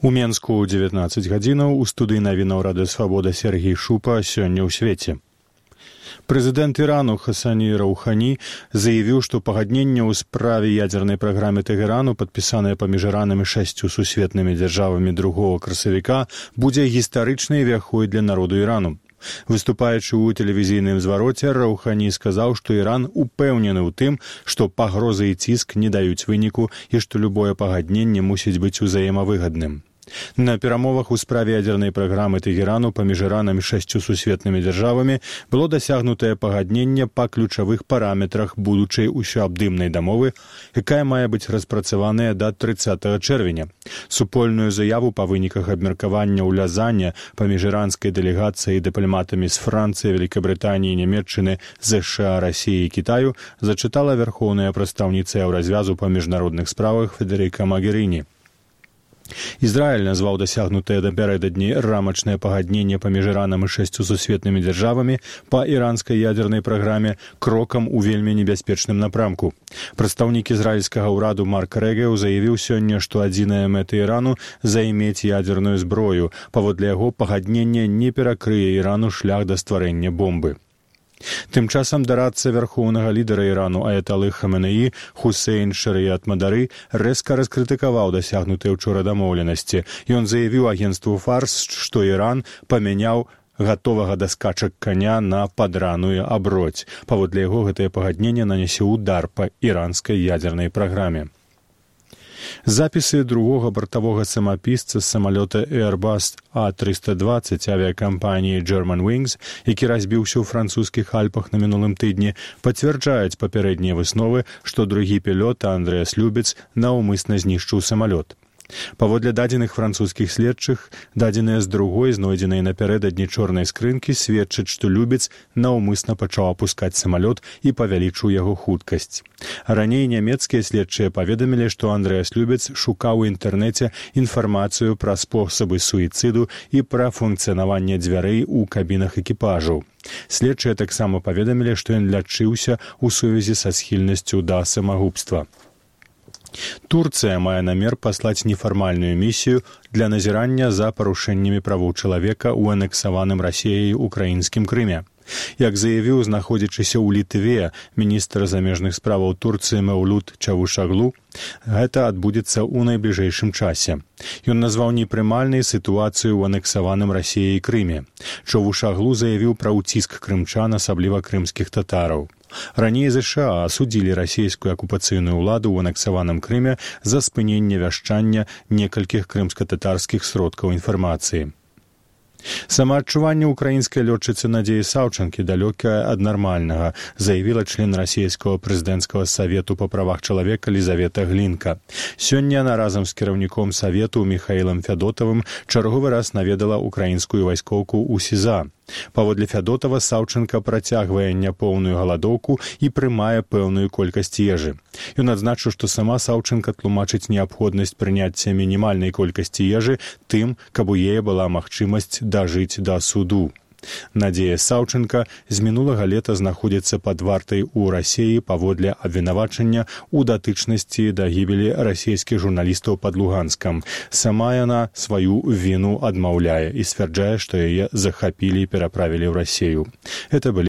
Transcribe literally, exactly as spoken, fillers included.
У Менску ў дзевятнаццаць гадзінаў у студыі навінаў Радыё Свабода Сергей Шупа сёння ў свеце. Прэзідэнт Ірану Хасані Раухані заявіў, што пагадненне ў справе ядзернай праграмы Тэгэрану, падпісанае паміж Іранам і шасцю сусветнымі дзяржавамі другога красавіка, будзе гістарычнай вяхой для народу Ірану. Выступаючы ў тэлевізійным звароце, Раухані сказаў, што Іран упэўнены ў тым, што пагрозы і ціск не даюць выніку і што любое пагадненне мусіць быць узаемавыгадным. На перамовах у справе ядзернай праграмы Тэгэрану паміж Іранам і шасцю сусветнымі дзяржавамі было дасягнутае пагадненне па ключавых параметрах будучай усеабдымнай дамовы, якая мае быць распрацаваная да трыццатага чэрвеня. Супольную заяву па выніках абмеркавання ў Лязане паміж іранскай дэлегацыяй і дыпламатамі з Францыі, Вялікабрытаніі, Нямецчыны, ЗША, Расіі і Кітаю зачытала вярхоўная прадстаўніца Еўразвязу па міжнародных справах Федэрыка Магеріні. Ізраіль назваў дасягнутае напярэдадні рамачнае пагадненне паміж Іранам і шасцю сусветнымі дзяржавамі па іранскай ядзернай праграме крокам у вельмі небяспечным напрамку. Прадстаўнік ізраільскага ўраду Марк Рэгеў заявіў сёння, што адзіная мэта Ірану займець ядзерную зброю. Паводле яго пагадненне не перакрые Ірану шлях да стварэння бомбы. Тым часам дарадца вярхоўнага лідара Ірану Аяталы Хаменеі Хусейн Шарыят Мадары рэзка раскрытыкаваў дасягнутыя ўчора дамоўленасці. Ён заявіў агенцтву Фарс, што Іран памяняў гатовага да скачак каня на падраную аброць. Паводле яго гэтае пагадненне нанясе ўдар па іранскай ядзернай праграме. Запісы другога бартавога самапісца з самалёта Airbus А трыста дваццаць авіякампаніі Germanwings, які разбіўся ў французскіх Альпах на мінулым тыдні, пацвярджаюць папярэднія высновы, што другі пілот Андрэас Любец наўмысна знішчыў самалёт. Паводле дадзеных французскіх следчых, дадзеныя з другой, знойдзенай напярэдадні чорнай скрынкі, сведчаць, што Любец наўмысна пачаў апускаць самалёт і павялічыў яго хуткасць. Раней нямецкія следчыя паведамілі, што Андрэас Любец шукаў у інтэрнэце інфармацыю пра спосабы суіцыду і пра функцыянаванне дзвярэй у кабінах экіпажаў. Следчыя таксама паведамілі, што ён лячыўся ў сувязі са схільнасцю да самагубства. Турцыя мае намер паслаць нефармальную місію для назірання за парушэннямі правоў чалавека ў анексаваным Расіяй украінскім Крыме. Як заявіў знаходзячыся ў Літве міністр замежных справаў Турцыі Мэўлют Чавушаглу, гэта адбудзецца ў найбліжэйшым часе. Ён назваў непрымальнай сітуацыю ў анексаваным Расіяй Крыме. Чавушаглу заявіў пра ўціск крымчан, асабліва крымскіх татараў. Раней ЗША асудзілі расійскую акупацыйную ўладу ў анексаваным Крыме за спыненне вяшчання некалькіх крымска-татарскіх сродкаў інфармацыі. Самаадчуванне украінскай лётчыцы Надзеі Саўчанкі далёкае ад нармальнага, заявіла член расійскага прэзідэнцкага савету па правах чалавека Лізавета Глінка. Сёння яна разам з кіраўніком савету Міхаілам Фядотавым чарговы раз наведала украінскую вайскоўку ў СІЗА. Паводле Фядотава, Саўчанка працягвае няпоўную галадоўку і прымае пэўную колькасць ежы. Ён адзначыў, што сама Саўчанка тлумачыць неабходнасць прыняцця мінімальнай колькасці ежы тым, каб у яе была магчымасць дажыць да суду. Надзея Саўчанка з мінулага лета знаходзіцца пад вартай у Расіі паводле абвінавачання ў датычнасці да гібелі расійскіх журналістаў пад Луганскам. Сама яна сваю віну адмаўляе і сцвярджае, што яе захапілі і пераправілі ў Расію. Это былі